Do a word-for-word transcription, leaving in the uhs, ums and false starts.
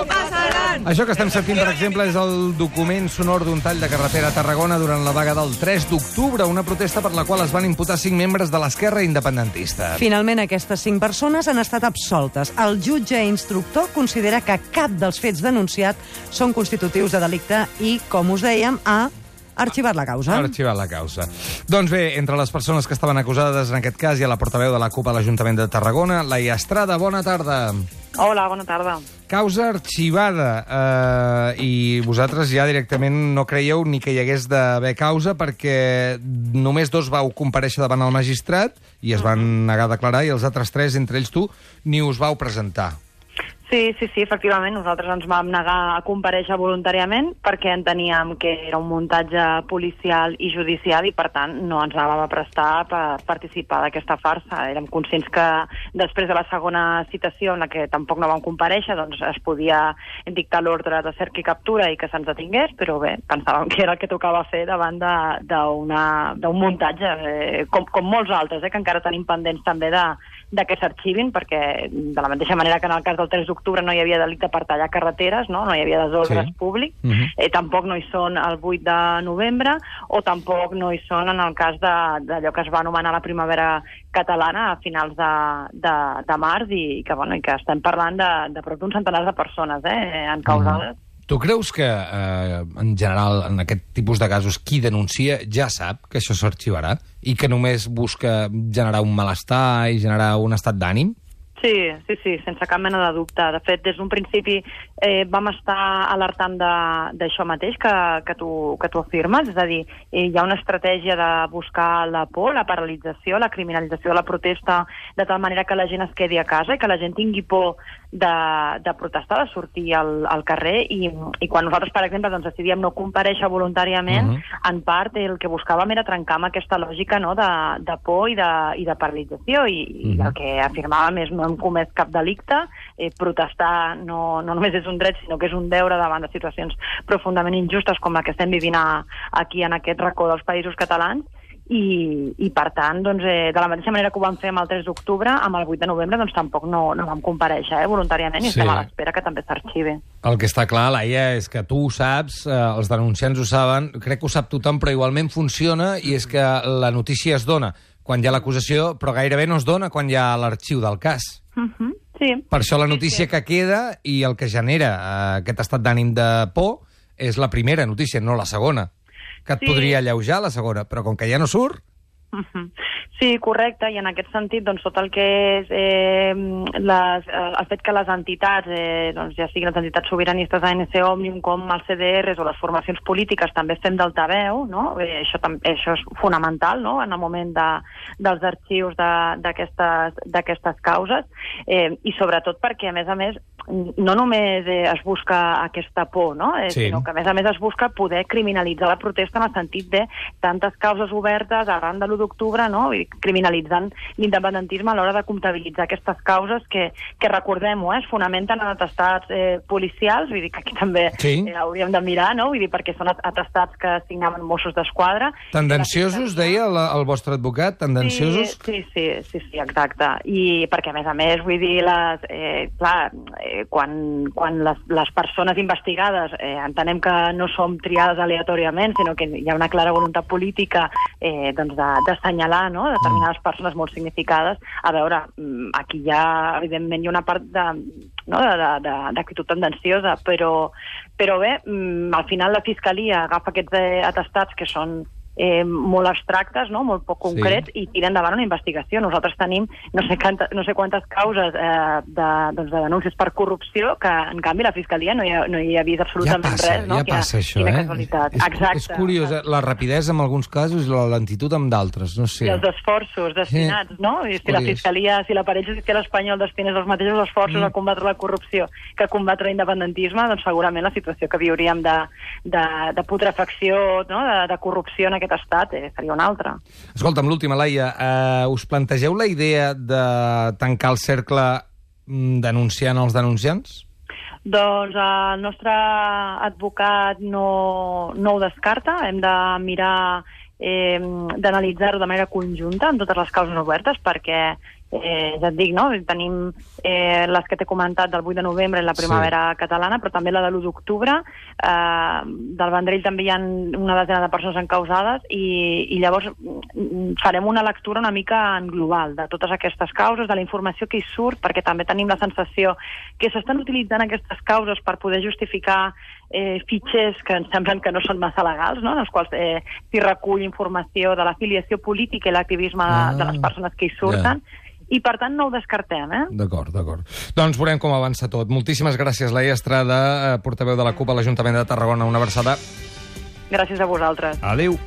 passaran! Això que estem sentint, per exemple, és el document sonor d'un tall de carretera a Tarragona durant la vaga del tres d'octubre, una protesta per la qual es van imputar cinc membres de l'esquerra independentista. Finalment, aquestes cinc persones han estat absoltes. El jutge instructor considera que cap dels fets denunciats són constitutius de delicte i, com us dèiem, ha arxivat la causa. Ha arxivat la causa. Doncs bé, entre les persones que estaven acusades en aquest cas hi ha la portaveu de la CUP a l'Ajuntament de Tarragona, Laia Estrada. Bona tarda. Hola, bona tarda. Causa arxivada, eh, i vosaltres ja directament no creieu ni que hi hagués d'haver causa perquè només dos vau comparèixer davant el magistrat i es van negar a declarar i els altres tres, entre ells tu, ni us vau presentar. Sí, sí, sí, efectivament. Nosaltres ens vam negar a comparèixer voluntàriament perquè enteníem que era un muntatge policial i judicial i, per tant, no ens anàvem a prestar per participar d'aquesta farsa. Érem conscients que després de la segona citació, en la que tampoc no vam comparèixer, doncs es podia dictar l'ordre de cerca i captura i que se'ns detingués, però bé, pensàvem que era el que tocava fer davant d'un muntatge, eh, com, com molts altres, eh, que encara tenim pendents també de, de que s'arxivin, perquè de la mateixa manera que en el cas del tres d'octubre no hi havia delicte per tallar carreteres, no, no hi havia desordres sí. públics, uh-huh. eh, tampoc no hi són el vuit de novembre, o tampoc no hi són en el cas d'allò que es va anomenar la primavera catalana a finals de, de, de març, i que, bueno, i que estem parlant de, de prop d'un centenar de persones eh, encausades. Uh-huh. Tu creus que, eh, en general, en aquest tipus de casos, qui denuncia ja sap que això s'arxivarà i que només busca generar un malestar i generar un estat d'ànim? Sí, sí, sí, sense cap mena de dubte. De fet, des d'un principi eh, vam estar alertant d'això mateix que, que, tu, que tu afirmes, és a dir, eh, hi ha una estratègia de buscar la por, la paralització, la criminalització de la protesta, de tal manera que la gent es quedi a casa i que la gent tingui por de, de protestar, de sortir al, al carrer, i, i quan nosaltres, per exemple, doncs, decidíem no comparèixer voluntàriament, uh -huh. en part el que buscàvem era trencar amb aquesta lògica, no?, de, de por i de, i de paralització, i, uh -huh. i el que afirmàvem és no hem comès cap delicte, eh, protestar no, no només és un dret, sinó que és un deure davant de situacions profundament injustes com la que estem vivint a, aquí en aquest racó dels països catalans, i, i per tant, doncs, eh, de la mateixa manera que ho vam fer amb el tres d'octubre, amb el vuit de novembre, doncs tampoc no, no vam comparèixer eh, voluntàriament, i sí. estem a l'espera que també s'arxivi. El que està clar, Laia, és que tu ho saps, eh, els denunciants ho saben, crec que ho sap tothom, però igualment funciona, i és que la notícia es dona quan hi ha l'acusació, però gairebé no es dona quan hi ha l'arxiu del cas. Uh-huh. Sí. Per això la notícia sí, sí. que queda i el que genera eh, aquest estat d'ànim de por és la primera notícia, no la segona, que et sí. podria alleujar la segona, però com que ja no surt... Uh-huh. Sí, correcte, i en aquest sentit, doncs, tot el que és eh, les, eh, el fet que les entitats, eh, doncs, ja siguin les entitats sobiranistes A N C Òmnium, com els C D Rs o les formacions polítiques, també fem d'altaveu, no? Eh, això, això és fonamental, no?, en el moment de, dels arxius d'aquestes causes, eh, i sobretot perquè, a més a més, no només eh, es busca aquesta por, no?, eh, sí. sinó que, a més a més, es busca poder criminalitzar la protesta en el sentit de tantes causes obertes arran de l'u d'octubre, no?, criminalitzant l'independentisme a l'hora de comptabilitzar aquestes causes que, que recordem-ho, eh, es fonamenten en atestats eh, policials, vull dir que aquí també sí. eh, hauríem de mirar, no?, vull dir, perquè són atestats que signaven Mossos d'Esquadra. Tendenciosos, deia el, el vostre advocat, tendenciosos? Sí, sí, sí, sí, sí, exacte. I perquè, a més a més, vull dir, les, eh, clar, eh, quan, quan les, les persones investigades eh, entenem que no som triades aleatòriament, sinó que hi ha una clara voluntat política eh, doncs de, d'assenyalar, no?, determinades persones molt significades. A veure, aquí ja, evidentment, hi ha una part de, no?, d'actitud tendenciosa, però, però bé, al final la Fiscalia agafa aquests eh, atestats que són eh, molt abstractes, no?, molt poc concrets, sí. i tira endavant una investigació. Nosaltres tenim no sé, canta, no sé quantes causes eh, de, doncs de denúncies per corrupció que, en canvi, la Fiscalia no hi ha, no hi ha vist absolutament ja passa, res. No? Ja quina, passa, això, quina eh? casualitat. És, exacte. És curiós, eh? La rapidesa en alguns casos i la lentitud en d'altres, no sé. I els esforços destinats, sí. no? I si curiós. La Fiscalia, si l'aparell judicial espanyol destinés els mateixos esforços mm. a combatre la corrupció que a combatre l'independentisme, doncs segurament la situació que viuríem de, de, de putrefacció, no?, de, de corrupció en aquest estat eh, seria una altra. Escolta'm, l'última, Laia, eh, us plantegeu la idea de tancar el cercle denunciant els denunciants? Doncs el nostre advocat no, no ho descarta. Hem de mirar, eh, d'analitzar-ho de manera conjunta en totes les causes obertes, perquè eh, ja et dic, no? Tenim eh, les que t'he comentat del vuit de novembre, la primavera sí. catalana, però també la de l'u d'octubre. Eh, del Vendrell també hi ha una desena de persones encausades i, i llavors farem una lectura una mica en global de totes aquestes causes, de la informació que hi surt, perquè també tenim la sensació que s'estan utilitzant aquestes causes per poder justificar eh, fitxers que ens semblen que no són massa legals, no? En els quals eh, s'hi recull informació de l'afiliació política i l'activisme ah, de les persones que hi surten, yeah. i per tant no ho descartem, eh? D'acord, d'acord. Doncs veurem com avança tot. Moltíssimes gràcies, Laia Estrada, portaveu de la CUP a l'Ajuntament de Tarragona. Una abraçada. Gràcies a vosaltres. Adéu.